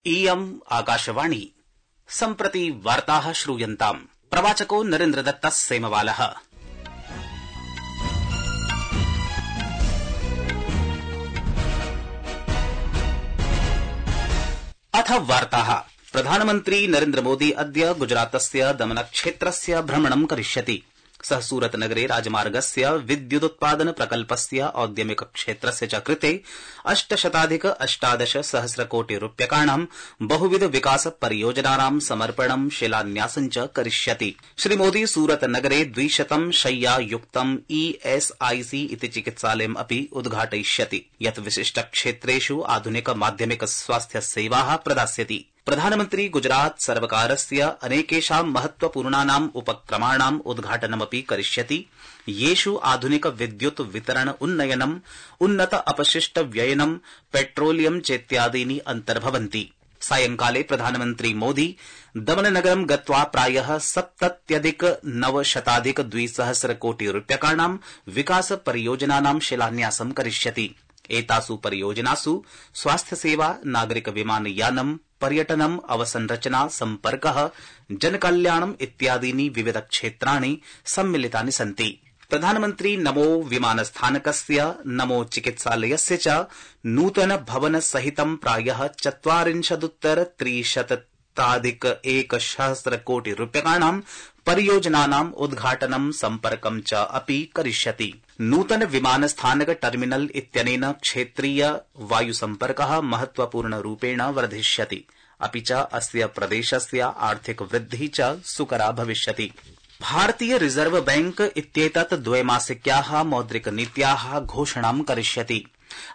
इयम् आकाशवाणी सम्प्रति वार्ताः श्रूयन्ताम्। प्रवाचको नरेन्द्रदत्तः सेमवालः। अथ वार्ताः। प्रधानमन्त्री नरेन्द्र मोदी अद्य गुजरातस्य दमनक्षेत्रस्य भ्रमणं करिष्यति। सः सूरतनगरे राजमार्गस्य विद्युदुत्पादन प्रकल्पस्य औद्यमिक क्षेत्रस्य च कृते 818 सहस्रकोटिरूप्यकाणां बहुविध विकास परियोजनानां समर्पणं शिलान्यासं च करिष्यति। श्रीमोदी सूरतनगरे 200 शय्यायुक्तं ESIC इति चिकित्सालयम् अपि उद्घाटयिष्यति, यत् विशिष्टक्षेत्रेषु आधुनिक माध्यमिक स्वास्थ्य सेवाः प्रदास्यति। प्रधानमन्त्री गुजरात सर्वकारस्य अनेकेषां महत्वपूर्णानाम् उपक्रमाणाम् उद्घाटनमपि करिष्यति, येषु आधुनिक विद्युत् वितरण उन्नयनम्, उन्नत अपशिष्ट व्ययनम्, पेट्रोलियम चेत्यादीनि अन्तर्भवन्ति। सायंकाले प्रधानमन्त्री मोदी दमननगरं गत्वा प्रायः 70,900 कोटिरूप्यकाणां विकास परियोजनानां शिलान्यासं करिष्यति। एतासु परियोजनासु स्वास्थ्यसेवा, नागरिक विमानयानम्, पर्यटनम्, अवसंरचना, सम्पर्कः, जनकल्याणम् इत्यादीनि विविध क्षेत्राणि सम्मिलितानि सन्ति। प्रधानमन्त्री नमो विमानस्थानकस्य, नमो चिकित्सालयस्य च नूतन भवन सहितं प्रायः 40,300 कोटिरूप्यकाणां परियोजनानाम् उद्घाटनं, सम्पर्कं च अपि करिष्यति। नूतन विमानस्थानक टर्मिनल इत्यनेन क्षेत्रीय वायुसम्पर्कः महत्वपूर्णरूपेण वर्धिष्यति, अपि च अस्य प्रदेशस्य आर्थिक वृद्धिः च सुकरा भविष्यति। भारतीय रिजर्व बैंक इत्येतत् द्वैमासिक्याः मौद्रिकनीत्याः घोषणां करिष्यति।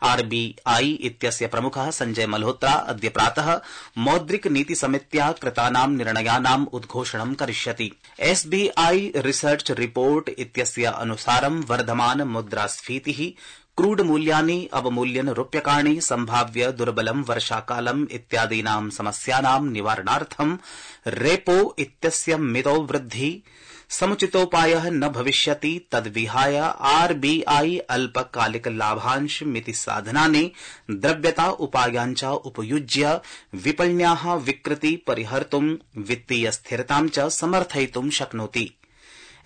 RBI इत्यस्य प्रमुखः संजय मल्होत्रा अद्य प्रातः मौद्रिक नीति समित्या कृतानां निर्णयानाम् उद्घोषणं करिष्यति। SBI रिसर्च रिपोर्ट इत्यस्य अनुसारं वर्धमान मुद्रास्फीतिः, क्रूड मूल्यानि अवमूल्यन रूप्यकाणि, सम्भाव्य दुर्बलं वर्षाकालम् इत्यादीनां समस्यानां निवारणार्थं रेपो इत्यस्य मितौ वृद्धि समुचितोपायः न भविष्यति। तद्विहाय RBI अल्पकालिक लाभांश मिति साधनानि द्रव्यता उपायाञ्च उपयुज्य विपण्याः विकृति परिहर्तुं, वित्तीय स्थिरतां च समर्थयितुं शक्नोति।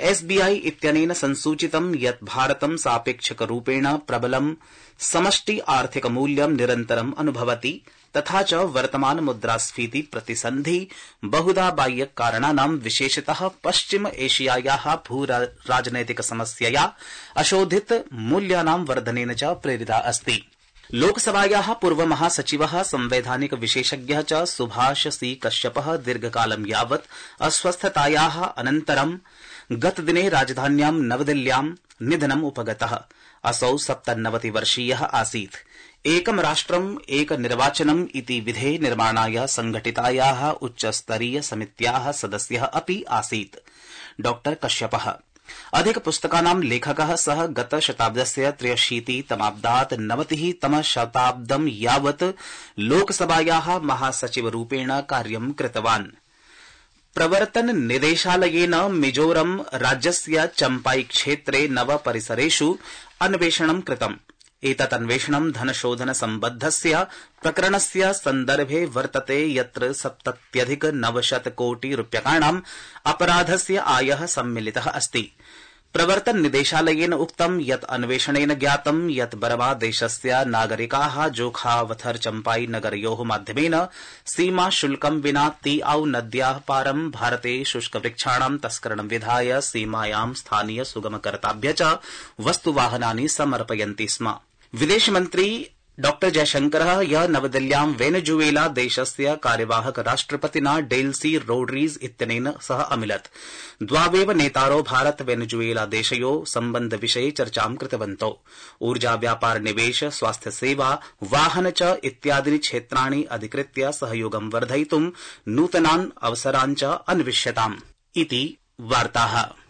SBI इत्यनेन संसूचितं यत् भारतं सापेक्षिकरूपेण प्रबलं समष्टि आर्थिक मूल्यं निरन्तरम् अनुभवति, तथा च वर्तमान मुद्रास्फीति प्रतिसन्धि बहुधा बाह्य कारणानां, विशेषतः पश्चिम एशियायाः भूराजनैतिक समस्यया अशोधित मूल्यानां वर्धनेन च प्रेरिता अस्ति। लोकसभायाः पूर्व महासचिवः, संवैधानिक विशेषज्ञः च सुभाष सी कश्यपः दीर्घकालं यावत् अस्वस्थतायाः अनन्तरं गतदिने राजधान्यां नवदिल्ल्यां निधनम् उपगतः। असौ 97 वर्षीयः आसीत्। एकं राष्ट्रम् एक निर्वाचनम् इति विधे निर्माणाय संघटितायाः उच्चस्तरीय समित्याः सदस्यः अपि आसीत्। डॉ कश्यपः अधिक पुस्तकानां लेखकः। सः गत शताब्दस्य 83 तमाब्दात् 90 तमशताब्दं यावत् लोकसभायाः महासचिवरूपेण कार्यं कृतवान्। प्रवर्तन निदेशालयेन मिजोरम राज्यस्य चम्पाई क्षेत्रे 9 परिसरेषु अन्वेषणं कृतम्। एतत् अन्वेषणं धनशोधन सम्बद्धस्य प्रकरणस्य सन्दर्भे वर्तते, यत्र 70,900 कोटिरूप्यकाणाम् अपराधस्य आयः सम्मिलितः अस्ति। प्रवर्तन निदेशालयेन उक्तं यत् अन्वेषणेन ज्ञातं यत् बरमा देशस्य नागरिकाः जोखावथर चम्पाई नगरयोः माध्यमेन सीमा शुल्कं विना तीआउ नद्याः पारं भारते शुष्कवृक्षाणां तस्करणं विधाय सीमायां स्थानीय सुगमकर्ताभ्य च वस्तुवाहनानि समर्पयन्ति स्म। विदेशमन्त्री डॉ जयशंकरः ह्यः नवदिल्ल्यां वेनेजुएला देशस्य कार्यवाहक राष्ट्रपतिना डेल्सी रोड्रीज इत्यनेन सह अमिलत्। द्वावेव नेतारौ भारत वेनेजुएला देशयोः सम्बन्धविषये चर्चां कृतवन्तौ। ऊर्जा, व्यापार, निवेश, स्वास्थ्य सेवा, वाहन च इत्यादीनि क्षेत्राणि अधिकृत्य सहयोगं वर्धयितुं नूतनान् अवसरान् च अन्विष्यताम् इति वार्ताः।